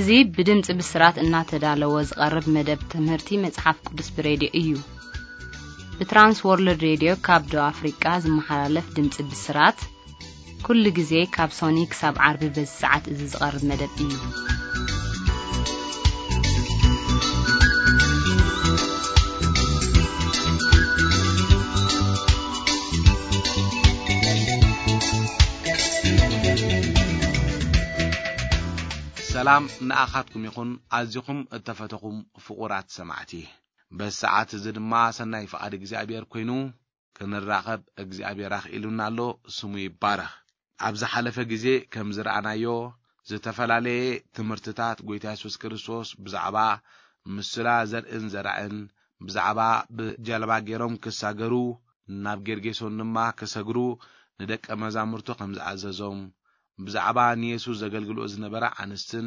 እዚ ብድምፂ ብስራት እናተዳለወ ዝቐርብ መደብ ትምህርቲ መጽሓፍ ቅዱስ ብሬድዮ እዩ። ብትራንስ ወርልድ ሬድዮ ካብ ደቡብ ኣፍሪቃ ዝመሓላለፍ ድምፂ ብስራት ኩሉ ግዜ ካብ ሶኒ ክሳብ ዓርቢ በዚ ሰዓት እዚ ዝቐርብ መደብ እዩ። ሰላም ንኣኻትኩም ይኹን፣ ኣዚኹም እተፈተኹም ፍቑራት ሰማዕቲ። በዚ ሰዓት እዚ ድማ ሰናይ ፍቓድ እግዚኣብሔር ኮይኑ ክንራኸብ እግዚኣብሔር ኣኽኢሉና ኣሎ፣ ስሙ ይባረኽ። ኣብ ዝሓለፈ ግዜ ከም ዝረኣናዮ፣ ዝተፈላለየ ትምህርትታት ጐይታ የሱስ ክርስቶስ ብዛዕባ ምስላ ዘርእን ዘራእን፣ ብዛዕባ ብጃልባ ገይሮም ክሳገሩ፣ ናብ ጌርጌሶን ድማ ክሰግሩ ንደቀ መዛሙርቱ ከም ዝኣዘዞም፣ ብዛዕባ ንየሱስ ዘገልግልኦ ዝነበራ ኣንስትን፣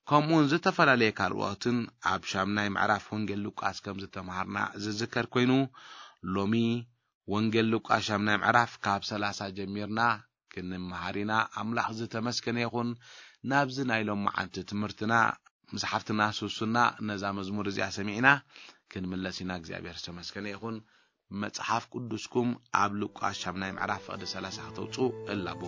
ከምኡውን ዝተፈላለየ ካልኦትን ኣብ ሻምናይ ምዕራፍ ወንጌል ሉቃስ ከም ዝተምሃርና ዝዝከር ኮይኑ፣ ሎሚ ወንጌል ሉቃስ ሻምናይ ምዕራፍ ካብ ሰላሳ ጀሚርና ክንምሃር ኢና። ኣምላኽ ዝተመስገነ ይኹን። ናብዚ ናይ ሎማዓንቲ ትምህርትና ምስ ሓፍትና ሱሱና ነዛ መዝሙር እዚኣ ሰሚዕና ክንምለስ ኢና። እግዚኣብሔር ዝተመስገነ ይኹን። መጽሓፍ ቅዱስኩም ኣብ ሉቃስ ሻምናይ ምዕራፍ ፍቕዲ ሰላሳ ከተውጽኡ እላቡ።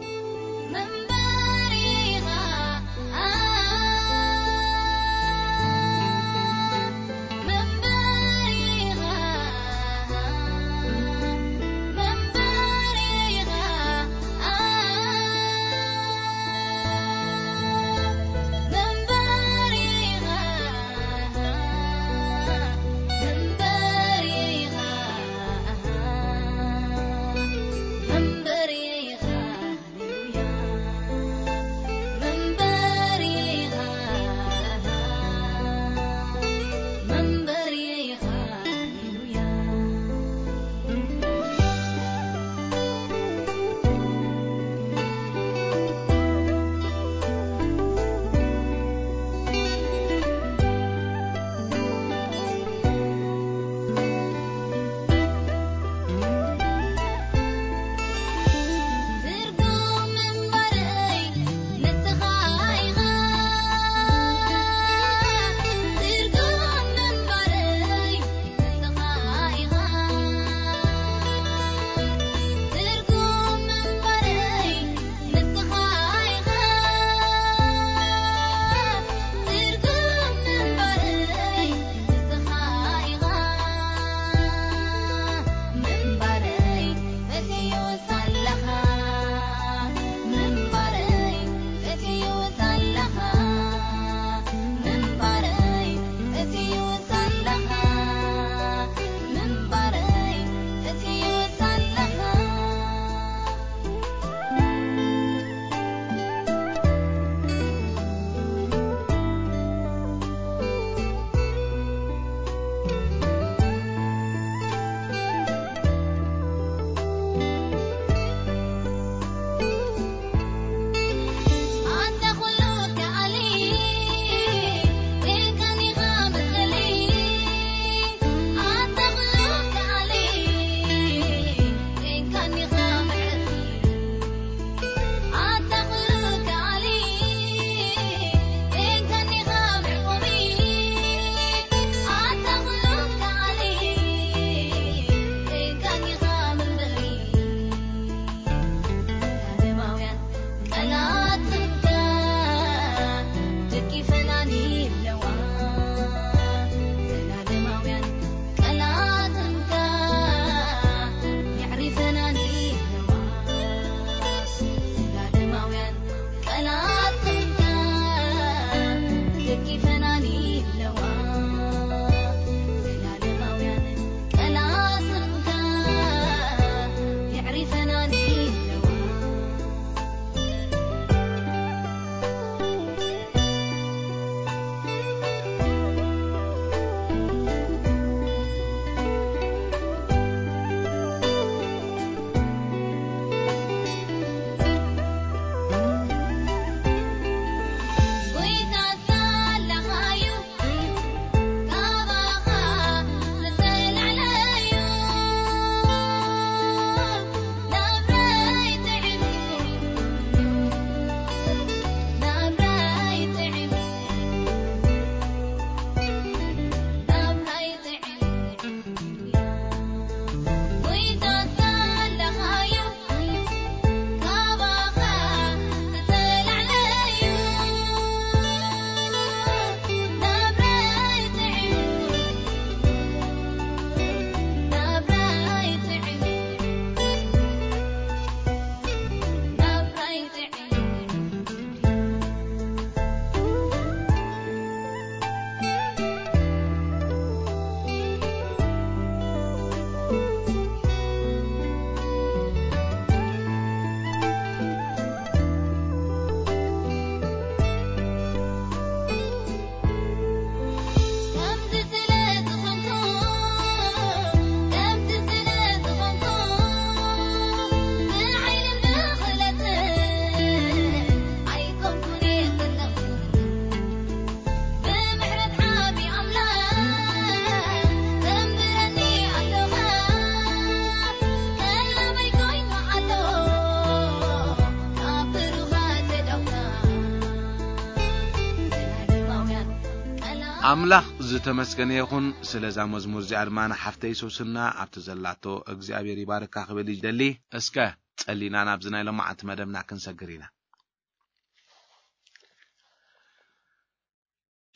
ኣምላኽ ዝተመስገነ ይኹን። ስለዛ መዝሙር እዚኣ ድማ ንሓፍተይ ሶስና ኣብቲ ዘላቶ እግዚኣብሔር ይባርካ ክብል ይደሊ። እስከ ጸሊና ናብዚ ናይ ሎማዓንቲ መደብና ክንሰግር ኢና።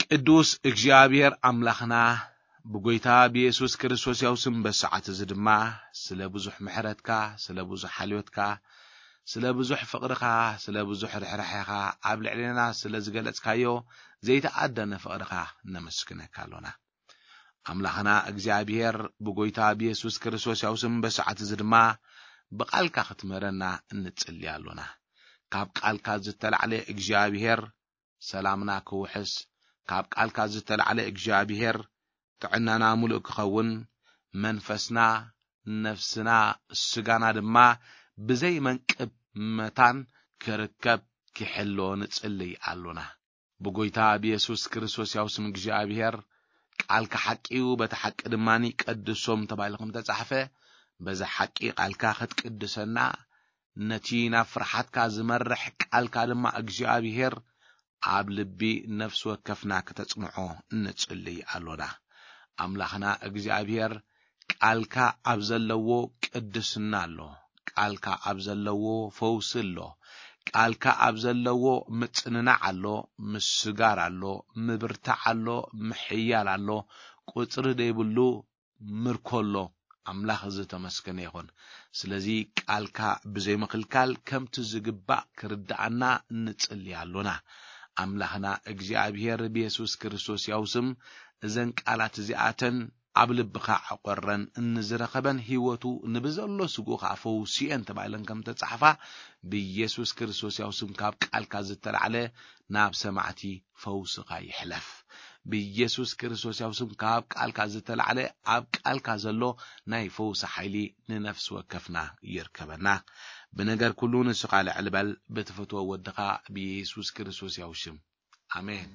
ቅዱስ እግዚኣብሔር ኣምላኽና፣ ብጎይታ ብየሱስ ክርስቶስ ያው ስም በሰዓት እዚ ድማ ስለ ብዙሕ ምሕረትካ፣ ስለ ብዙሕ ሓልዮትካ፣ ስለ ብዙሕ ፍቕርኻ፣ ስለ ብዙሕ ርሕራሕኻ ኣብ ልዕሌና ስለ ዝገለጽካዮ ዘይተኣደነ ፍቕርኻ ነመስግነካ ኣሎና። ኣምላኽና እግዚኣብሔር፣ ብጎይታ ብየሱስ ክርስቶስ ያው ስም በሰዓት እዚ ድማ ብቓልካ ክትምህረና እንጽሊ ኣሎና። ካብ ቃልካ ዝተላዕለ እግዚኣብሔር ሰላምና ክውሕስ፣ ካብ ቃልካ ዝተላዕለ እግዚኣብሔር ጥዕናና ምሉእ ክኸውን፣ መንፈስና፣ ነፍስና፣ ስጋና ድማ ብዘይ መንቅብ መታን ክርከብ ክሕሎ ንጽልይ ኣሎና። ብጎይታ ብየሱስ ክርስቶስ ያው ስም እግዚኣብሔር፣ ቃልካ ሓቂ እዩ፣ በቲ ሓቂ ድማ ቀድሶም ተባሂሉ ከም ተጻሕፈ፣ በዚ ሓቂ ቃልካ ክትቅድሰና፣ ነቲ ናብ ፍርሓትካ ዝመርሕ ቃልካ ድማ እግዚኣብሔር ኣብ ልቢ ነፍሲ ወከፍና ክተጽንዖ ንጽልይ ኣሎና። ኣምላኽና እግዚኣብሔር፣ ቃልካ ኣብ ዘለዎ ቅድስና ኣሎ፣ ቃልካ ኣብ ዘለዎ ፈውሲ ኣሎ፣ ቃልካ ኣብ ዘለዎ ምጽንናዕ ኣሎ፣ ምስጋር ኣሎ፣ ምብርታዕ ኣሎ፣ ምሕያል ኣሎ፣ ቁጽሪ ዘይብሉ ምርኮ ኣሎ። ኣምላኽ ዝተመስገነ ይኹን። ስለዚ ቃልካ ብዘይ ምኽልካል ከምቲ ዝግባእ ክርድኣና ንጽሊ ኣሎና። ኣምላኽና እግዚኣብሔር ብየሱስ ክርስቶስ ያው ስም እዘን ቃላት እዚኣተን ኣብ ልብኻ ዕቆረን እንዝረኸበን ህይወቱ ንብዘሎ ስግኡ ኸዓ ፈውስየን ተባሂለን ከም ተጻሕፋ ብየሱስ ክርስቶስ ያው ስም ካብ ቃልካ ዝተላዕለ ናብ ሰማዕቲ ፈውስኻ ይሕለፍ። ብየሱስ ክርስቶስ ያው ስም ካብ ቃልካ ዝተላዕለ ኣብ ቃልካ ዘሎ ናይ ፈውሲ ሓይሊ ንነፍሲ ወከፍና ይርከበና። ብነገር ኩሉ ንስኻ ልዕል በል፣ ብትፈትዎ ወድኻ ብየሱስ ክርስቶስ ያው ሽም። ኣሜን።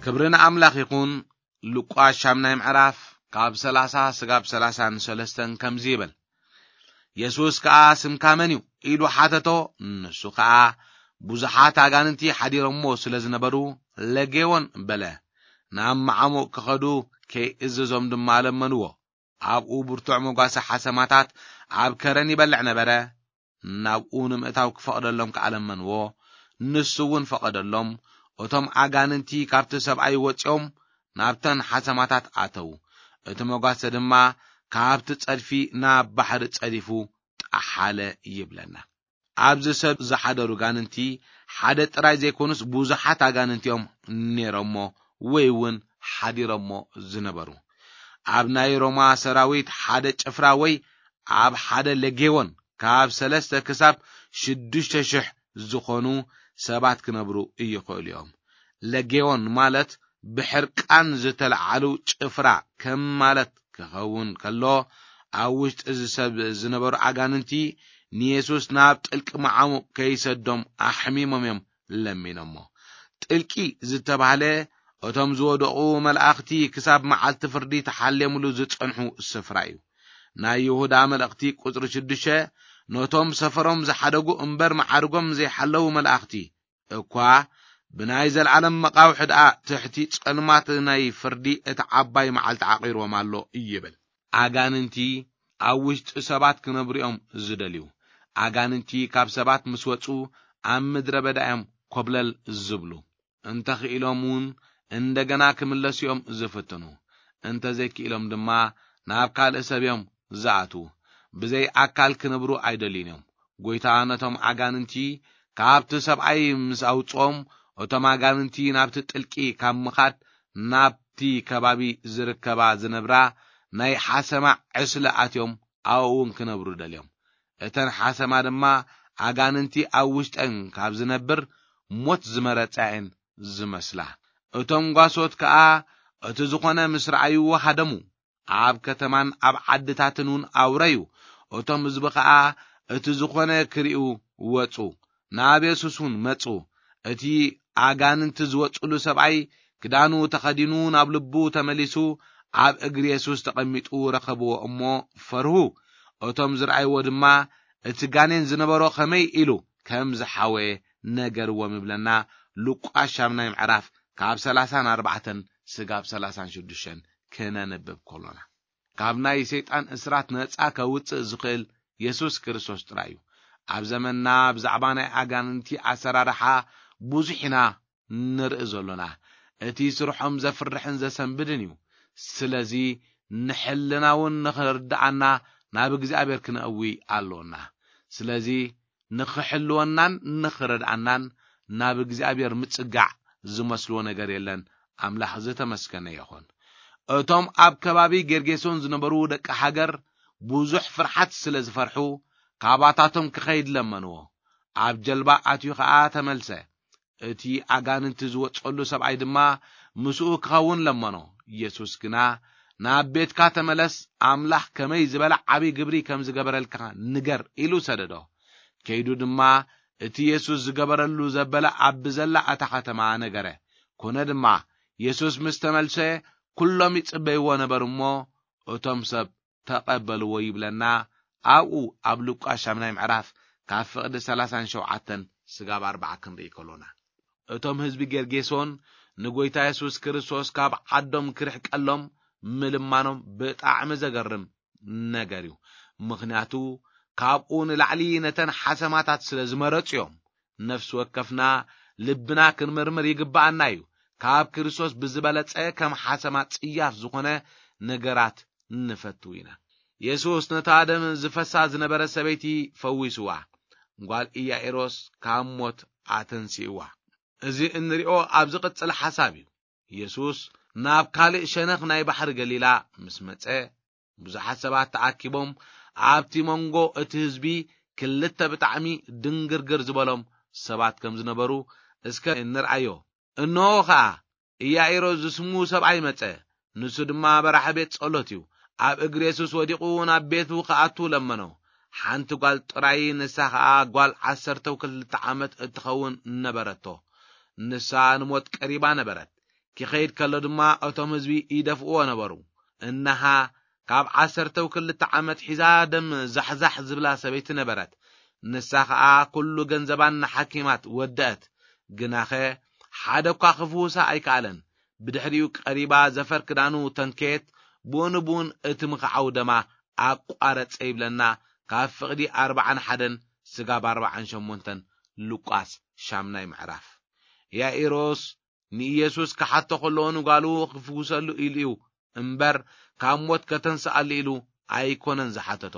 ክብሪ ንኣምላኽ ይኹን። ሉቃስ ሻምናይ ምዕራፍ ካብ ሰላሳ ስጋብ ሰላሳን ሰለስተን ከምዚ ይብል። የሱስ ከኣ፣ "ስምካ መን እዩ?" ኢሉ ሓተቶ። ንሱ ከኣ፣ "ብዙሓት ኣጋንንቲ ሓዲሮሞ ስለ ዝነበሩ፣ ለጌዎን" በለ። ናብ መዓሙቕ ክኸዱ ከይእዝዞም ድማ ለመንዎ። ኣብኡ ብርቱዕ መጓሰ ሓሰማታት ኣብ ከረን ይበልዕ ነበረ። ናብኡ ንምእታው ክፈቕደሎም ከኣ ለመንዎ። ንሱ እውን ፈቐደሎም። እቶም ኣጋንንቲ ካብቲ ሰብኣይ ወጺኦም ናብተን ሓሰማታት ኣተዉ። እቲ መጓሰ ድማ ካብቲ ጸድፊ ናብ ባሕሪ ጸዲፉ ጠሓለ ይብለና። ኣብዚ ሰብ ዝሓደሩ ጋንንቲ ሓደ ጥራይ ዘይኮኑስ ብዙሓት ኣጋንንቲ እዮም ነይሮሞ ወይ እውን ሓዲሮሞ ዝነበሩ። ኣብ ናይ ሮማ ሰራዊት ሓደ ጭፍራ ወይ ኣብ ሓደ ለጌዎን ካብ ሰለስተ ክሳብ ሽዱሽተ ሽሕ ዝኾኑ ሰባት ክነብሩ ይኽእሉ እዮም። ለጌዎን ማለት ብሕርቃን ዝተለዓሉ ጭፍራ ከም ማለት ክኸውን ከሎ፣ ኣብ ውሽጢ እዚ ሰብ ዝነበሩ ኣጋንንቲ ንየሱስ ናብ ጥልቂ መዓሙቕ ከይሰዶም ኣሕሚሞም እዮም ለሚኖሞ። ጥልቂ ዝተባህለ እቶም ዝወደቑ መላእኽቲ ክሳብ መዓልቲ ፍርዲ ተሓሌምሉ ዝጸንሑ ስፍራ እዩ። ናይ ይሁዳ መልእኽቲ ቁጽሪ ሽዱሽተ ነቶም ሰፈሮም ዝሓደጉ እምበር መዓርጎም ዘይሓለዉ መላእኽቲ እኳ ብናይ ዘለዓለም መቓውሒ ደኣ ትሕቲ ጸልማት ናይ ፍርዲ እታ ዓባይ መዓልቲ ዓቒርዎም ኣሎ ይብል። ኣጋንንቲ ኣብ ውሽጢ ሰባት ክነብሩ እዮም ዝደልዩ። ኣጋንንቲ ካብ ሰባት ምስ ወጹ ኣብ ምድረ በዳ እዮም ኮብለል ዝብሉ። እንተ ኽኢሎም እውን እንደገና ክምለሱ እዮም ዝፍትኑ። እንተ ዘይክኢሎም ድማ ናብ ካልእ ሰብ እዮም ዝኣትዉ። ብዘይ ኣካል ክነብሩ ኣይደልዩን እዮም። ጐይታ ነቶም ኣጋንንቲ ካብቲ ሰብኣይ ምስ ኣውጽኦም፣ እቶም ኣጋንንቲ ናብቲ ጥልቂ ካብ ምኻድ ናብቲ ከባቢ ዝርከባ ዝነብራ ናይ ሓሰማ ዕስለ ኣትዮም ኣብኡ እውን ክነብሩ ደልዮም። እተን ሓሰማ ድማ ኣጋንንቲ ኣብ ውሽጠን ካብ ዝነብር ሞት ዝመረጻ እየን ዝመስላ። እቶም ጓሶት ከኣ እቲ ዝኾነ ምስ ረኣይዎ ሃደሙ። ኣብ ከተማን ኣብ ዓድታትን እውን ኣውረዩ። እቶም ህዝቢ ኸኣ እቲ ዝኾነ ክርእዩ ወጹ። ናብ የሱስ እውን መጹ። እቲ ኣጋንንቲ ዝወጹሉ ሰብኣይ ክዳኑ ተኸዲኑ ናብ ልቡ ተመሊሱ ኣብ እግሪ የሱስ ተቐሚጡ ረኸብዎ እሞ ፈርሁ። እቶም ዝረኣይዎ ድማ እቲ ጋኔን ዝነበሮ ኸመይ ኢሉ ከም ዝሓወየ ነገርዎም ይብለና። ሉቃስ ሻምናይ ምዕራፍ ካብ ሰላሳን ኣርባዕተን ስጋብ ሰላሳን ሽዱሽተን ክነንብብ ከሎና። ካብ ናይ ሰይጣን እስራት ነጻ ከውጽእ ዝኽእል የሱስ ክርስቶስ ጥራይ እዩ። ኣብ ዘመንና ብዛዕባ ናይ ኣጋንንቲ ኣሰራርሓ ብዙሕ ኢና ንርኢ ዘሎና። እቲ ስርሖም ዘፍርሕን ዘሰንብድን እዩ። ስለዚ ንሕልና እውን ንኽርድኣና ናብ እግዚኣብሔር ክነእዊ ኣሎና። ስለዚ ንኽሕልወናን ንኽረድኣናን ናብ እግዚኣብሔር ምጽጋዕ ዝመስልዎ ነገር የለን። ኣምላኽ ዝተመስገነ ይኹን። እቶም ኣብ ከባቢ ጌርጌሶን ዝነበሩ ደቂ ሃገር ብዙሕ ፍርሓት ስለ ዝፈርሑ፣ ካባታቶም ክኸይድ ለመንዎ። ኣብ ጀልባ ኣትዩ ኸኣ ተመልሰ። እቲ ኣጋንንቲ ዝወጸሉ ሰብኣይ ድማ ምስኡ ክኸውን ለመኖ። ኢየሱስ ግና፣ "ናብ ቤትካ ተመለስ፣ ኣምላኽ ከመይ ዝበለ ዓቢ ግብሪ ከም ዝገበረልካ ንገር" ኢሉ ሰደዶ። ከይዱ ድማ እቲ ኢየሱስ ዝገበረሉ ዘበለ ኣብ ብዘላ እታ ከተማ ነገረ። ኮነ ድማ፣ ኢየሱስ ምስ ተመልሰ፣ ኩሎም ይጽበይዎ ነበሩ እሞ፣ እቶም ሰብ ተቐበልዎ ይብለና። ኣብኡ ኣብ ሉቃስ ሻምናይ ምዕራፍ ካብ ፍቕዲ ሰላሳን ሸውዓተን ስጋብ ኣርባዓ ክንርኢ ከሎና፣ እቶም ህዝቢ ጌርጌሶን ንጎይታ የሱስ ክርስቶስ ካብ ዓዶም ክርሕቀሎም ምልማኖም ብጣዕሚ ዘገርም ነገር እዩ። ምኽንያቱ ካብኡ ንላዕሊ ነተን ሓሰማታት ስለ ዝመረጹ እዮም። ነፍሲ ወከፍና ልብና ክንምርምር ይግብኣና እዩ። ካብ ክርስቶስ ብዝበለጸ ከም ሓሰማ ጽያፍ ዝኾነ ነገራት ንፈቱ ኢና። የሱስ ነታ ደም ዝፈሳ ዝነበረ ሰበይቲ ፈዊስዋ። ጓል ኢያኢሮስ ካብ ሞት ኣተንሲእዋ። እዚ እንሪኦ ኣብ ዝቕጽል ሓሳብ እዩ። የሱስ ናብ ካልእ ሸነኽ ናይ ባሕሪ ገሊላ ምስ መጸ፣ ብዙሓት ሰባት ተኣኪቦም ኣብቲ መንጎ እቲ ህዝቢ ክልተ ብጣዕሚ ድንግርግር ዝበሎም ሰባት ከም ዝነበሩ እስከ እንርኣዮ። እንሆ ኸኣ ኢያኢሮስ ዝስሙ ሰብኣይ መጸ። ንሱ ድማ መራሒ ቤት ጸሎት እዩ። ኣብ እግሪ የሱስ ወዲቑ ናብ ቤቱ ክኣቱ ለመኖ። ሓንቲ ጓል ጥራይ፣ ንሳ ኸኣ ጓል ዓሰርተው ክልተ ዓመት እትኸውን ነበረቶ። ንሳ ንሞት ቀሪባ ነበረት። ክኸይድ ከሎ ድማ እቶም ህዝቢ ይደፍእዎ ነበሩ። እነሃ ካብ ዓሰርተው ክልተ ዓመት ሒዛ ደም ዛሕዛሕ ዝብላ ሰበይቲ ነበረት። ንሳ ኸኣ ኩሉ ገንዘባን ንሓኪማት ወደአት። ግናኸ ሓደ እኳ ክፍውሳ ኣይከኣለን። ብድሕሪኡ ቀሪባ ዘፈር ክዳኑ ተንከየት፣ ብኡ ንብኡን እቲ ምኽዓው ደማ ኣቋረጸ ይብለና። ካብ ፍቕዲ ኣርባዓን ሓደን ስጋብ ኣርባዓን ሸሞንተን ሉቃስ ሻምናይ ምዕራፍ። ያኢሮስ ንኢየሱስ ክሓቶ ከሎ ንጓሉ ክፍውሰሉ ኢሉ እዩ እምበር ካብ ሞት ከተንስኣሉ ኢሉ ኣይኮነን ዝሓተቶ።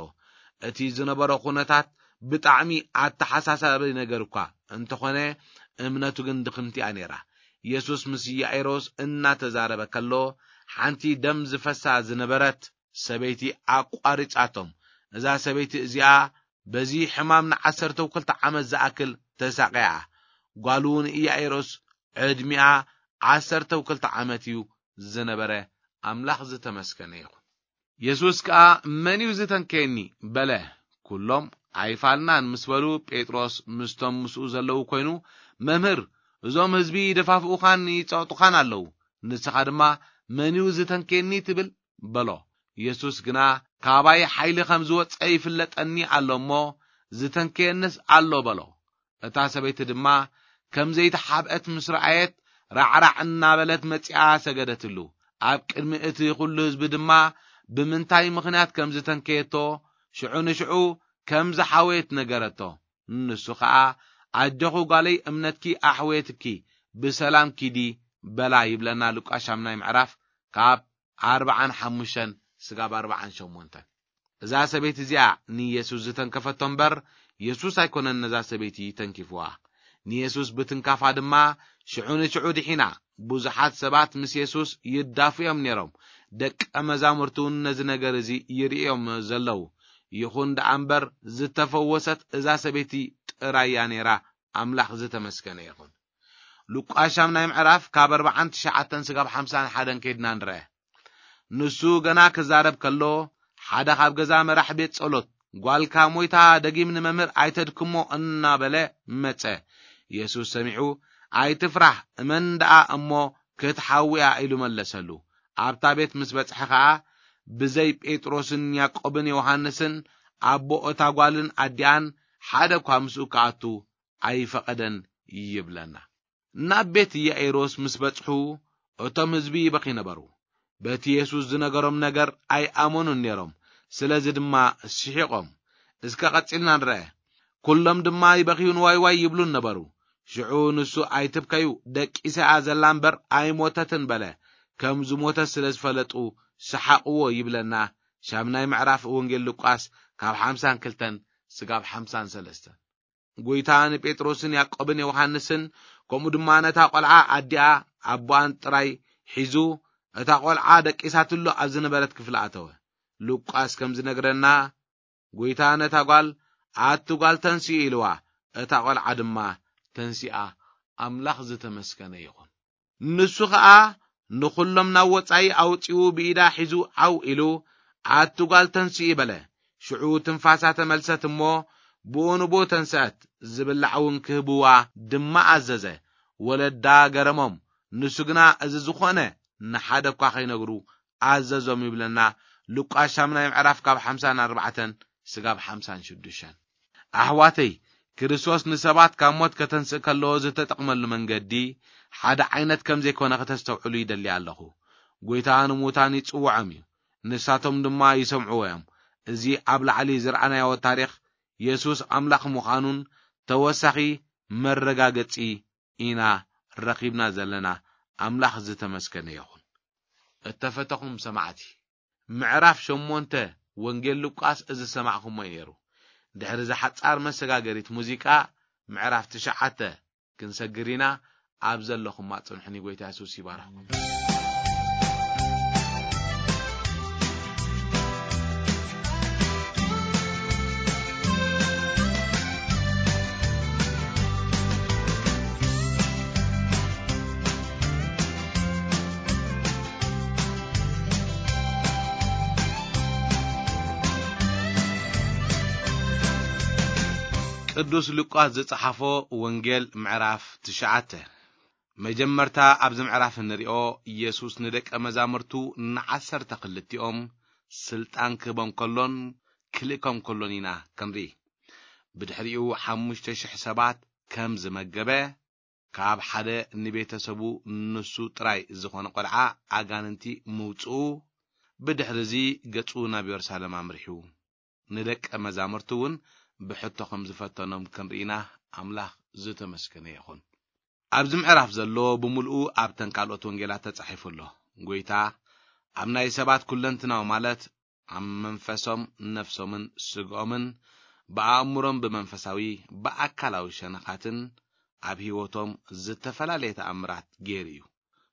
እቲ ዝነበሮ ኩነታት ብጣዕሚ ኣተሓሳሳቢ ነገር እኳ እንተኾነ፣ እምነቱ ግን ድኽምቲ እያ ነይራ። ኢየሱስ ምስ ያኢሮስ እናተዛረበ ከሎ፣ ሓንቲ ደም ዝፈሳ ዝነበረት ሰበይቲ ኣቋሪጻቶም። እዛ ሰበይቲ እዚኣ በዚ ሕማም ንዓሰርተው ክልተ ዓመት ዝኣክል ተሳቒያ። ጓሉ ንኢያኢሮስ ዕድሚኣ ዓሰርተው ክልተ ዓመት እዩ ዝነበረ። ኣምላኽ ዝተመስገነ ይኹን። የሱስ ከኣ፣ "መን እዩ ዝተንከየኒ?" በለ። ኩሎም፣ "ኣይፋልናን" ምስ በሉ፣ ጴጥሮስ ምስቶም ምስኡ ዘለዉ ኮይኑ፣ "መምህር፣ እዞም ህዝቢ ይደፋፍኡኻን ይጸቕጡኻን ኣለዉ። ንስኻ ድማ፣ 'መን እዩ ዝተንከየኒ?' ትብል?" በሎ። የሱስ ግና፣ "ካባይ ሓይሊ ከም ዝወጸ ይፍለጠኒ ኣሎ እሞ፣ ዝተንከየንስ ኣሎ" በሎ። እታ ሰበይቲ ድማ ከም ዘይተሓብአት ምስ ረኣየት፣ ራዕራዕ እናበለት መጺኣ ሰገደትሉ። ኣብ ቅድሚ እቲ ኹሉ ህዝቢ ድማ ብምንታይ ምኽንያት ከም ዝተንከየቶ፣ ሽዑ ንሽዑ ከም ዝሓወየት ነገረቶ። ንሱ ኸኣ፣ "ኣጆኺ ጓለይ፣ እምነትኪ ኣሕወየትኪ፣ ብሰላም ኪዲ" በላ ይብለና ሉቃስ ሻምናይ ምዕራፍ ካብ ኣርባዓን ሓሙሽተን ስጋብ ኣርባዓን ሸሞንተን። እዛ ሰበይቲ እዚኣ ንየሱስ ዝተንከፈቶ እምበር፣ የሱስ ኣይኮነን ነዛ ሰበይቲ ተንኪፍዋ። ንየሱስ ብትንካፋ ድማ ሽዑ ንሽዑ ድሒና። ብዙሓት ሰባት ምስ የሱስ ይዳፉ እዮም ነይሮም። ደቀ መዛሙርቱ እውን ነዚ ነገር እዚ ይርእዮም ዘለዉ። ይኹን ደኣ እምበር፣ ዝተፈወሰት እዛ ሰበይቲ ጥራይ እያ ነይራ። ኣምላኽ ዝተመስገነ ይኹን። ሉቃስ ሻምናይ ምዕራፍ ካብ ኣርባዓን ትሽዓተን ስጋብ ሓምሳን ሓደን ከይድና ንርአ። ንሱ ገና ክዛረብ ከሎ፣ ሓደ ካብ ገዛ መራሕ ቤት ጸሎት "ጓልካ ሞይታ፣ ደጊም ንመምህር ኣይተድክሞ" እናበለ መጸ። የሱስ ሰሚዑ፣ "ኣይትፍራህ፣ እመን ደኣ እሞ ክትሓዊ እያ" ኢሉ መለሰሉ። ኣብታ ቤት ምስ በጽሐ ኸኣ፣ ብዘይ ጴጥሮስን ያዕቆብን ዮሃንስን ኣቦ እታ ጓልን ኣዲኣን ሓደ እኳ ምስኡ ክኣቱ ኣይፈቐደን ይብለና። ናብ ቤት ኢያኢሮስ ምስ በጽሑ፣ እቶም ህዝቢ ይበኺ ነበሩ። በቲ የሱስ ዝነገሮም ነገር ኣይኣመኑን ነይሮም፣ ስለዚ ድማ ስሒቖም። እስከ ቀጺልና ንርአ። ኩሎም ድማ ይበኽዩን ዋይ ዋይ ይብሉን ነበሩ። ሽዑ ንሱ፣ "ኣይትብከዩ፣ ደቂሳ እያ ዘላ እምበር ኣይሞተትን" በለ። ከም ዝሞተ ስለ ዝፈለጡ ሰሓቕዎ ይብለና። ሻምናይ ምዕራፍ ወንጌል ሉቃስ ካብ ሓምሳን ክልተን ስጋብ ሓምሳን ሰለስተን። ጎይታ ንጴጥሮስን ያዕቆብን ዮሃንስን፣ ከምኡ ድማ ነታ ቈልዓ ኣዲኣ ኣቦኣን ጥራይ ሒዙ፣ እታ ቈልዓ ደቂሳትሉ ኣብ ዝነበረት ክፍሊ ኣተወ። ሉቃስ ከም ዝነግረና፣ ጎይታ ነታ ጓል፣ "ኣቲ ጓል፣ ተንስኢ" ኢልዋ። እታ ቈልዓ ድማ ተንሲኣ፣ ኣምላኽ ዝተመስገነ ይኹን። ንሱ ኸኣ ንኹሎም ናብ ወጻኢ ኣውጺኡ ብኢዳ ሒዙ ዓው ኢሉ፣ "ኣቲ ጓል፣ ተንስኢ" በለ። ሽዑ ትንፋሳ ተመልሰት እሞ ብኡ ንብኡ ተንስአት። ዝብላዕ እውን ክህብዋ ድማ ኣዘዘ። ወለዳ ገረሞም። ንሱ ግና እዚ ዝኾነ ንሓደ እኳ ኸይነግሩ ኣዘዞም ይብለና። ሉቃስ ሻምናይ ምዕራፍ ካብ ሓምሳን ኣርባዕተን ስጋብ ሓምሳን ሽዱሽተን። ኣሕዋተይ፣ ክርስቶስ ንሰባት ካብ ሞት ከተንስእ ከሎ ዝተጠቕመሉ መንገዲ ሓደ ዓይነት ከም ዘይኮነ ከተስተውዕሉ ይደሊ ኣለኹ። ጎይታ ንሙታን ይጽውዖም እዩ፣ ንሳቶም ድማ ይሰምዕዎ እዮም። እዚ ኣብ ላዕሊ ዝረኣናዮ ታሪኽ የሱስ ኣምላኽ ምዃኑን ተወሳኺ መረጋገጺ ኢና ረኺብና ዘለና። ኣምላኽ ዝተመስገነ ይኹን። እተፈተኹም ሰማዕቲ፣ ምዕራፍ ሸሞንተ ወንጌል ሉቃስ እዚ ዝሰማዕኹሞ እዩ ነይሩ። ድሕሪ እዛ ሓጻር መሰጋገሪት ሙዚቃ፣ ምዕራፍ ትሽዓተ ክንሰግር ኢና። ኣብ ዘለኹም ኣጽንሑኒ። ጎይታ የሱስ ይባርኽኩም። ቅዱስ ሉቃስ ዝጸሓፎ ወንጌል ምዕራፍ ትሽዓተ። መጀመርታ ኣብዚ ምዕራፍ እንሪኦ፣ ኢየሱስ ንደቀ መዛሙርቱ ንዓሰርተ ክልቲኦም ስልጣን ክህቦም ከሎን ክልእኮም ከሎን ኢና ክንርኢ። ብድሕሪኡ ሓሙሽተ ሽሕ ሰባት ከም ዝመገበ፣ ካብ ሓደ ንቤተሰቡ ንሱ ጥራይ ዝኾነ ቆልዓ ኣጋንንቲ ምውጽኡ፣ ብድሕሪ እዚ ገጹ ናብ የሩሳሌም ኣምሪሑ ንደቀ መዛሙርቱ እውን ብሕቶ ከም ዝፈተኖም ክንርኢና። ኣምላኽ ዝተመስገነ ይኹን። ኣብዚ ምዕራፍ ዘሎ ብምልኡ ኣብተን ካልኦት ወንጌላት ተጻሒፉ ኣሎ። ጎይታ ኣብ ናይ ሰባት ኩለንትናዊ፣ ማለት ኣብ መንፈሶም፣ ነፍሶምን ስግኦምን፣ ብኣእምሮም፣ ብመንፈሳዊ፣ ብኣካላዊ ሸነኻትን ኣብ ህይወቶም ዝተፈላለየ ተኣምራት ገይሩ እዩ።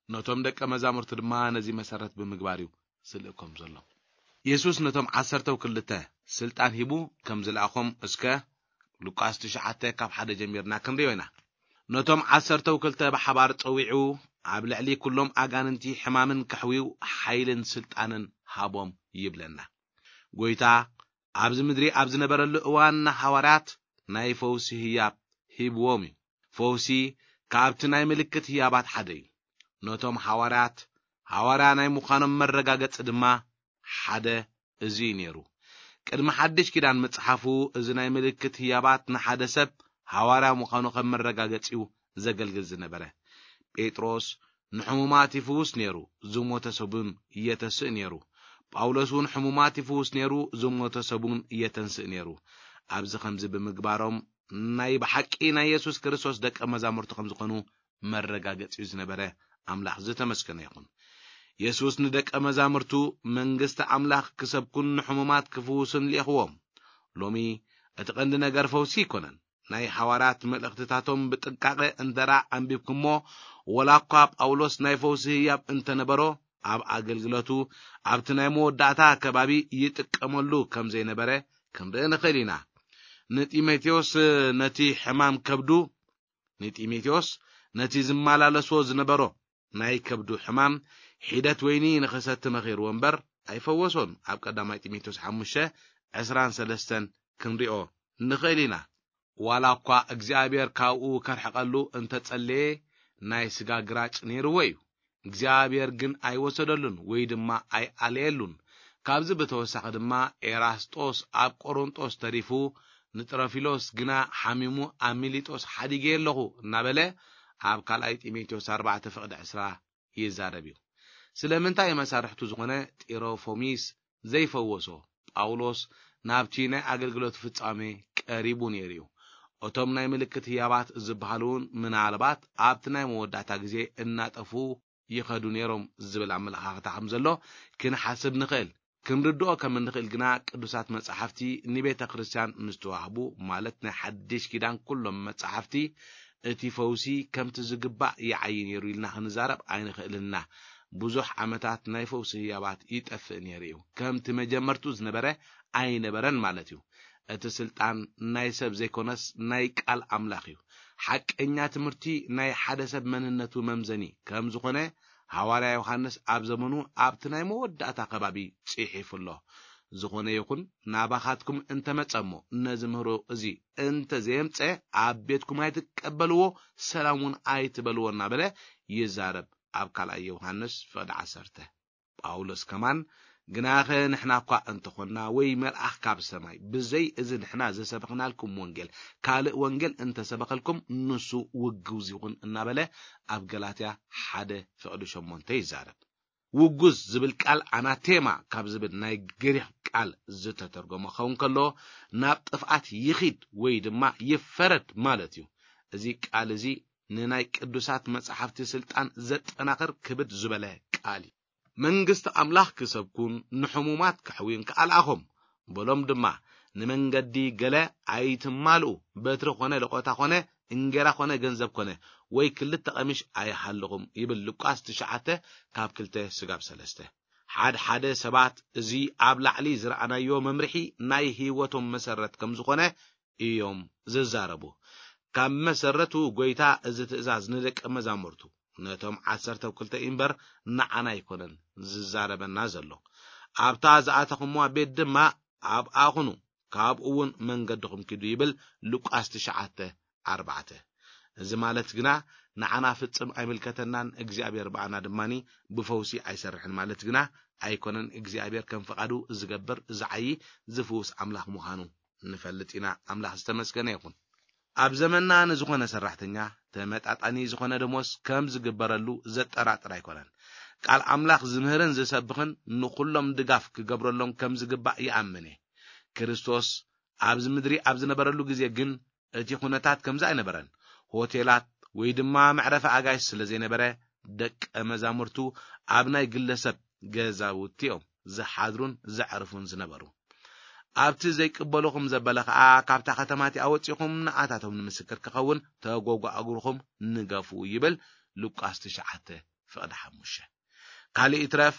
ነቶም ደቀ መዛሙርቱ ድማ ነዚ መሰረት ብምግባር እዩ ዝልእኮም ዘሎ። የሱስ ነቶም ዓሰርተው ክልተ ስልጣን ሂቡ ከም ዝለኣኾም እስከ ሉቃስ ትሽዓተ ካብ ሓደ ጀሚርና ክንሪኦ ኢና። ነቶም ዓሰርተው ክልተ ብሓባር ጸዊዑ፣ ኣብ ልዕሊ ኩሎም ኣጋንንቲ ሕማምን ከሕዊው ሓይልን ስልጣንን ሃቦም ይብለና። ጎይታ ኣብዚ ምድሪ ኣብ ዝነበረሉ እዋን ንሃዋርያት ናይ ፈውሲ ህያብ ሂብዎም እዩ። ፈውሲ ካብቲ ናይ ምልክት ህያባት ሓደ እዩ። ነቶም ሃዋርያት ሃዋርያ ናይ ምዃኖም መረጋገጺ ድማ ሓደ እዚ እዩ ነይሩ። ቅድሚ ሓድሽ ኪዳን ምጽሓፉ፣ እዚ ናይ ምልክት ህያባት ንሓደ ሰብ ሃዋርያ ምዃኑ ከም መረጋገጺ እዩ ዘገልግል ዝነበረ። ጴጥሮስ ንሕሙማት ይፍውስ ነይሩ፣ ዝሞተ ሰቡን የተስእ ነይሩ። ጳውሎስ እውን ሕሙማት ይፍውስ ነይሩ፣ ዝሞተ ሰቡን የተንስእ ነይሩ። ኣብዚ ከምዚ ብምግባሮም ናይ ብሓቂ ናይ የሱስ ክርስቶስ ደቀ መዛሙርቱ ከም ዝኾኑ መረጋገጺ እዩ ዝነበረ። ኣምላኽ ዝተመስገነ ይኹን። የሱስ ንደቀ መዛሙርቱ መንግስቲ ኣምላኽ ክሰብኩን ንሕሙማት ክፍውሱን ልኢኽዎም። ሎሚ እቲ ቀንዲ ነገር ፈውሲ ኣይኮነን። ናይ ሃዋርያት መልእኽትታቶም ብጥንቃቐ እንተ ደኣ ኣንቢብኩሞ፣ ወላ እኳ ጳውሎስ ናይ ፈውሲ ህያብ እንተ ነበሮ፣ ኣብ ኣገልግሎቱ ኣብቲ ናይ መወዳእታ ከባቢ ይጥቀመሉ ከም ዘይነበረ ክንርኢ ንኽእል ኢና። ንጢሞቴዎስ ነቲ ሕማም ከብዱ፣ ንጢሞቴዎስ ነቲ ዝመላለሶ ዝነበሮ ናይ ከብዱ ሕማም ሒደት ወይኒ ንኽሰቲ መኺርዎ እምበር ኣይፈወሶን። ኣብ ቀዳማይ ጢሞቴዎስ ሓሙሽተ ዕስራን ሰለስተን ክንሪኦ ንኽእል ኢና። ዋላ እኳ እግዚኣብሔር ካብኡ ከርሕቐሉ እንተጸለየ፣ ናይ ስጋ ግራጭ ነይርዎ እዩ። እግዚኣብሔር ግን ኣይወሰደሉን ወይ ድማ ኣይኣለየሉን። ካብዚ ብተወሳኺ ድማ ኤራስጦስ ኣብ ቆሮንጦስ ተሪፉ፣ ንጥሮፊሎስ ግና ሓሚሙ ኣብ ሚሊጦስ ሓዲገ ኣለኹ እናበለ ኣብ ካልኣይ ጢሞቴዎስ ኣርባዕተ ፍቕዲ ዕስራ ይዛረብ እዩ። ስለምንታይ መሳርሕቱ ዝኾነ ጢሮፎሚስ ዘይፈወሶ? ጳውሎስ ናብቲ ናይ ኣገልግሎት ፍጻሜ ቀሪቡ ነይሩ እዩ። እቶም ናይ ምልክት ህያባት ዝበሃሉ እውን ምናልባት ኣብቲ ናይ መወዳእታ ግዜ እናጠፉ ይኸዱ ነይሮም ዝብል ኣመለኻኽታ ከም ዘሎ ክንሓስብ ንኽእል። ክንርድኦ ከም እንኽእል ግና ቅዱሳት መጻሕፍቲ ንቤተ ክርስቲያን ምስ ተዋህቡ፣ ማለት ናይ ሓድሽ ኪዳን ኩሎም መጻሕፍቲ፣ እቲ ፈውሲ ከምቲ ዝግባእ ይዓዪ ነይሩ ኢልና ክንዛረብ ኣይንኽእልን ኢና። ብዙሕ ዓመታት ናይ ፈውሲ ህያባት ይጠፍእ ነይሩ እዩ። ከምቲ መጀመርቱ ዝነበረ ኣይነበረን ማለት እዩ። እቲ ስልጣን ናይ ሰብ ዘይኮነስ ናይ ቃል ኣምላኽ እዩ። ሓቀኛ ትምህርቲ ናይ ሓደ ሰብ መንነቱ መምዘኒ ከም ዝኾነ ሃዋርያ ዮሃንስ ኣብ ዘመኑ ኣብቲ ናይ መወዳእታ ከባቢ ጽሒፉ ኣሎ። ዝኾነ ይኹን ናባኻትኩም እንተመጸ እሞ ነዚ ምህሮ እዚ እንተ ዘየምጸ ኣብ ቤትኩም ኣይትቀበልዎ፣ ሰላም እውን ኣይትበልዎ እናበለ ይዛረብ ኣብ ካልኣይ ዮሃንስ ፍቕዲ ዓሰርተ። ጳውሎስ ከማን ግናኸ ንሕና እኳ እንተኾንና ወይ መልኣኽ ካብ ሰማይ ብዘይ እዚ ንሕና ዘሰበኽናልኩም ወንጌል ካልእ ወንጌል እንተሰበኸልኩም ንሱ ውጉዝ ይኹን እናበለ ኣብ ገላትያ ሓደ ፍቕዲ ሸሞንተ ይዛረብ። ውጉዝ ዝብል ቃል ኣናቴማ ካብ ዝብል ናይ ግሪኽ ቃል ዝተተርጎመ ክኸውን ከሎ ናብ ጥፍኣት ይኺድ ወይ ድማ ይፈረድ ማለት እዩ። እዚ ቃል እዚ ንናይ ቅዱሳት መጻሕፍቲ ስልጣን ዘጠናኽር ክብድ ዝበለ ቃል እዩ። መንግስቲ ኣምላኽ ክሰብኩን ንሕሙማት ከሕውዩን ከኣ ለኣኾም። በሎም ድማ፣ ንመንገዲ ገለ ኣይትማልኡ፣ በትሪ ኾነ ለቖታ ኾነ እንጌራ ኾነ ገንዘብ ኮነ ወይ ክልተ ቐሚሽ ኣይሃልኹም ይብል ሉቃስ ትሽዓተ ካብ ክልተ ስጋብ ሰለስተ። ሓድ ሓደ ሰባት እዚ ኣብ ላዕሊ ዝረኣናዮ መምርሒ ናይ ህይወቶም መሰረት ከም ዝኾነ እዮም ዝዛረቡ። ካብ መሰረቱ ጎይታ እዚ ትእዛዝ ንደቀ መዛሙርቱ ነቶም ዓሰርተ ክልተ እምበር ንዓና ኣይኮነን ዝዛረበና ዘሎ። ኣብታ ዝኣተኹምዋ ቤት ድማ ኣብኣ ኹኑ፣ ካብኡ እውን መንገድኹም ኪዱ ይብል ሉቃስ ትሽዓተ ኣርባዕተ። እዚ ማለት ግና ንዓና ፍጽም ኣይምልከተናን፣ እግዚኣብሔር ብኣና ድማኒ ብፈውሲ ኣይሰርሕን ማለት ግና ኣይኮነን። እግዚኣብሔር ከም ፍቓዱ ዝገብር ዝዓዪ ዝፍውስ ኣምላኽ ምዃኑ ንፈልጥ ኢና። ኣምላኽ ዝተመስገነ ይኹን። ኣብ ዘመንና ንዝኾነ ሰራሕተኛ ተመጣጣኒ ዝኾነ ደሞዝ ከም ዝግበረሉ ዘጠራጥር ኣይኮነን። ቃል ኣምላኽ ዝምህርን ዝሰብኽን ንኹሎም ድጋፍ ክገብረሎም ከም ዝግባእ ይኣምን እየ። ክርስቶስ ኣብዚ ምድሪ ኣብ ዝነበረሉ ግዜ ግን እቲ ኩነታት ከምዚ ኣይነበረን። ሆቴላት ወይ ድማ መዕረፊ ኣጋይሽ ስለ ዘይነበረ ደቀ መዛሙርቱ ኣብ ናይ ግለሰብ ገዛውቲ እዮም ዝሓድሩን ዘዕርፉን ዝነበሩ። ኣብቲ ዘይቅበሉኹም ዘበለ ኸኣ ካብታ ከተማ እቲኣ ወጺኹም ንኣታቶም ንምስክር ክኸውን ተጎጓእግርኹም ንገፉ ይብል ሉቃስ ትሽዓተ ፍቕዲ ሓሙሽተ። ካልእ ይትረፍ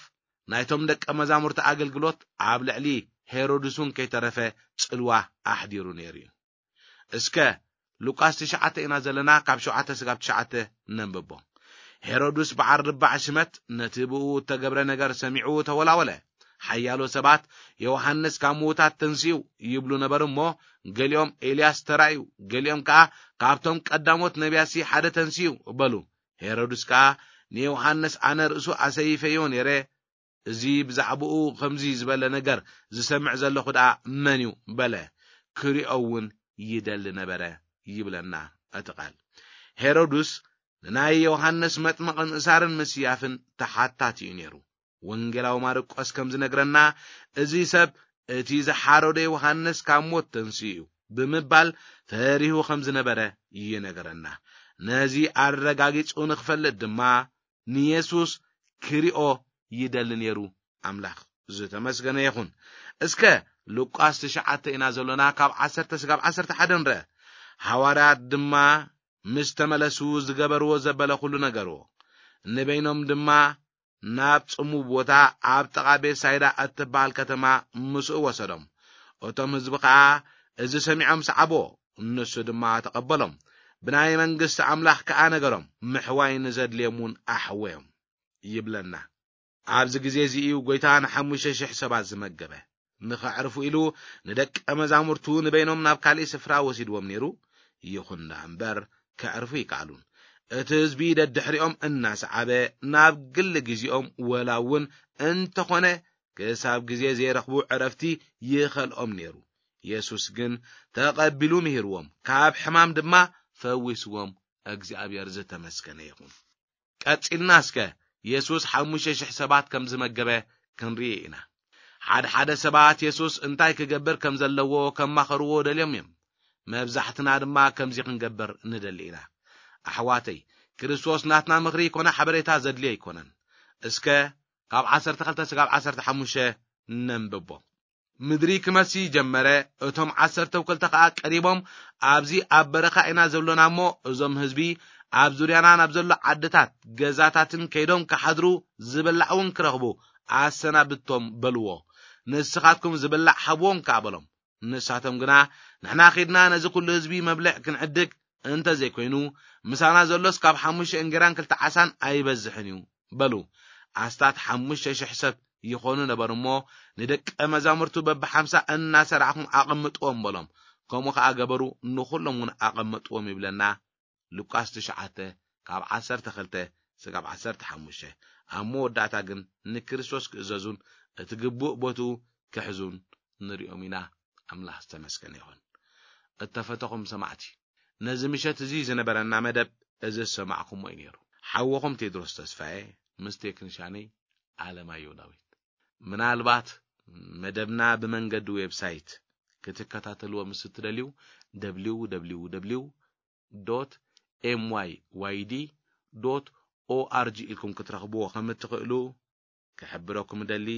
ናይቶም ደቀ መዛሙርቲ ኣገልግሎት ኣብ ልዕሊ ሄሮድስ እውን ከይተረፈ ጽልዋ ኣሕዲሩ ነይሩ እዩ። እስከ ሉቃስ ትሽዓተ ኢና ዘለና፣ ካብ ሸውዓተ ስጋብ ትሽዓተ ነንብቦ። ሄሮድስ በዓል ርባዕ ሽመት ነቲ ብኡ እተገብረ ነገር ሰሚዑ ተወላወለ። ሓያሎ ሰባት ዮሃንስ ካብ ምዉታት ተንሲኡ ይብሉ ነበሩ እሞ፣ ገሊኦም ኤልያስ ተራእዩ፣ ገሊኦም ከኣ ካብቶም ቀዳሞት ነቢያትሲ ሓደ ተንሲኡ በሉ። ሄሮድስ ከኣ ንዮሃንስ ኣነ ርእሱ ኣሰይፈዮ ነይረ፣ እዚ ብዛዕባኡ ከምዚ ዝበለ ነገር ዝሰምዕ ዘለኹ ደኣ መን እዩ በለ። ክሪኦ እውን ይደሊ ነበረ ይብለና እቲ ቃል። ሄሮድስ ንናይ ዮሃንስ መጥምቕ ምእሳርን ምስያፍን ተሓታቲ እዩ ነይሩ። ወንጌላዊ ማርቆስ ከም ዝነግረና፣ እዚ ሰብ እቲ ዝሓረዶ ዮሃንስ ካብ ሞት ተንስኡ እዩ ብምባል ፈሪሁ ከም ዝነበረ ይነግረና። ነዚ ኣረጋጊጹ ንኽፈልጥ ድማ ንየሱስ ክሪኦ ይደሊ ነይሩ። ኣምላኽ ዝተመስገነ ይኹን። እስከ ሉቃስ ትሽዓተ ኢና ዘሎና፣ ካብ ዓሰርተ ስጋብ ዓሰርተ ሓደ ንርአ። ሃዋርያት ድማ ምስ ተመለሱ ዝገበርዎ ዘበለ ኩሉ ነገርዎ። ንበይኖም ድማ ናብ ጽሙው ቦታ ኣብ ጥቓ ቤትሳይዳ እትበሃል ከተማ ምስኡ ወሰዶም። እቶም ህዝቢ ኸኣ እዚ ሰሚዖም ሰዓብዎ። ንሱ ድማ ተቐበሎም። ብናይ መንግስቲ ኣምላኽ ከኣ ነገሮም። ምሕዋይ ንዘድልዮም እውን ኣሕወዮም ይብለና። ኣብዚ ግዜ እዚ እዩ ጐይታ ንሓሙሽተ ሽሕ ሰባት ዝመገበ። ንኸዕርፉ ኢሉ ንደቀ መዛሙርቱ ንበይኖም ናብ ካልእ ስፍራ ወሲድዎም ነይሩ። ይኹን ደኣ እምበር፣ ከዕርፉ ይከኣሉን። እቲ ህዝቢ ደድሕሪኦም እናሰዓበ ናብ ግሊ ግዜኦም ወላ እውን እንተኾነ ክሳብ ግዜ ዘይረኽቡ ዕረፍቲ ይኸልኦም ነይሩ። የሱስ ግን ተቐቢሉ ምሂርዎም፣ ካብ ሕማም ድማ ፈዊስዎም። እግዚኣብሔር ዝተመስገነ ይኹን። ቀጺልና እስከ የሱስ ሓሙሽተ ሽሕ ሰባት ከም ዝመገበ ክንርኢ ኢና። ሓደ ሓደ ሰባት የሱስ እንታይ ክገብር ከም ዘለዎ ከማኸርዎ ደልዮም እዮም። መብዛሕትና ድማ ከምዚ ክንገብር ንደሊ ኢና። ኣሕዋተይ፣ ክርስቶስ ናትና ምኽሪ ኮነ ሓበሬታ ዘድልዮ ኣይኮነን። እስከ ካብ ዓሰርተ ክልተ ስጋብ ዓሰርተ ሓሙሽተ ነንብቦ። ምድሪ ክመሲ ጀመረ። እቶም ዓሰርተ ክልተ ኸኣ ቀሪቦም ኣብዚ ኣብ በረኻ ኢና ዘሎና እሞ፣ እዞም ህዝቢ ኣብ ዙርያና ናብ ዘሎ ዓድታት ገዛታትን ከይዶም ክሓድሩ፣ ዝብላዕ እውን ክረኽቡ ኣሰናብቶም በልዎ። ንስኻትኩም ዝብላዕ ሃብዎም ከኣ በሎም። ንሳቶም ግና፣ ንሕና ኺድና ነዚ ኵሉ ህዝቢ መብልዕ ክንዕድግ እንተ ዘይኮይኑ፣ ምሳና ዘሎስ ካብ ሓሙሽተ እንጌራን ክልተ ዓሳን ኣይበዝሕን እዩ በሉ። ኣስታት ሓሙሽተ ሽሕ ሰብ ይኾኑ ነበር እሞ፣ ንደቀ መዛሙርቱ በብሓምሳ እናሰራዕኹም ኣቐምጥዎም በሎም። ከምኡ ኸኣ ገበሩ፣ ንኹሎም እውን ኣቐምጥዎም ይብለና። ሉቃስ ትሽዓተ ካብ ዓሰርተ ክልተ ስጋብ ዓሰርተ ሓሙሽተ። ኣብ መወዳእታ ግን ንክርስቶስ ክእዘዙን እቲ ግቡእ ቦትኡ ክሕዙን ንሪኦም ኢና። ኣምላኽ ዝተመስገነ ይኹን። እተፈተኹም ሰማዕቲ፣ ነዚ ምሸት እዚ ዝነበረና መደብ እዚ ዝሰማዕኩሞ እዩ ነይሩ። ሓወኹም ቴድሮስ ተስፋዬ ምስ ቴክኒሻነይ ኣለማየሁ ዳዊት። ምናልባት መደብና ብመንገዲ ዌብሳይት ክትከታተልዎ ምስ እትደልዩ፣ ደብሊው ደብሊው ደብሊው ዶት ኤም ዋይ ዋይ ዲ ዶት ኦ ኣር ጂ ኢልኩም ክትረኽብዎ ከም እትኽእሉ ክሕብረኩም እደሊ።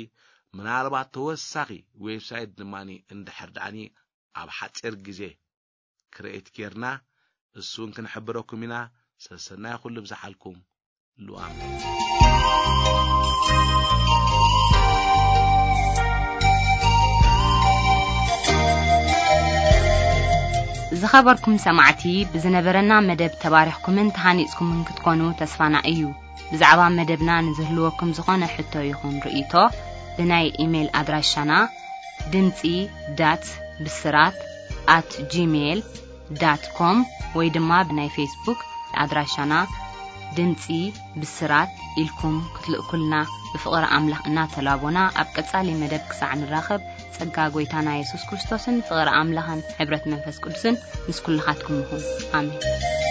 ምናልባት ተወሳኺ ዌብሳይት ድማ እንድሕር ደኣኒ ኣብ ሓጺር ግዜ ክርኤት ጌርና፣ እሱን ክንሕብረኩም ኢና። ሰሰናይ ኩሉ ብዝሓልኩም። ሉኣም። ዝኸበርኩም ሰማዕቲ፣ ብዝነበረና መደብ ተባሪኽኩምን ተሃኒጽኩምን ክትኮኑ ተስፋና እዩ። ብዛዕባ መደብና ንዝህልወኩም ዝኾነ ሕቶ ይኹን ርእይቶ፣ ብናይ ኢሜይል ኣድራሻና ድምጺ ዳት ብስራት ኣት ጂሜይል ዳት ኮም ወይ ድማ ብናይ ፌስቡክ ኣድራሻና ድምጺ ብስራት ኢልኩም ክትልእኩልና ብፍቕሪ ኣምላኽ እናተላቦና፣ ኣብ ቀጻሊ መደብ ክሳዕ ንራኸብ፣ ጸጋ ጐይታና የሱስ ክርስቶስን ፍቕሪ ኣምላኽን ሕብረት መንፈስ ቅዱስን ምስ ኩልኻትኩም ይኹን። ኣሜን።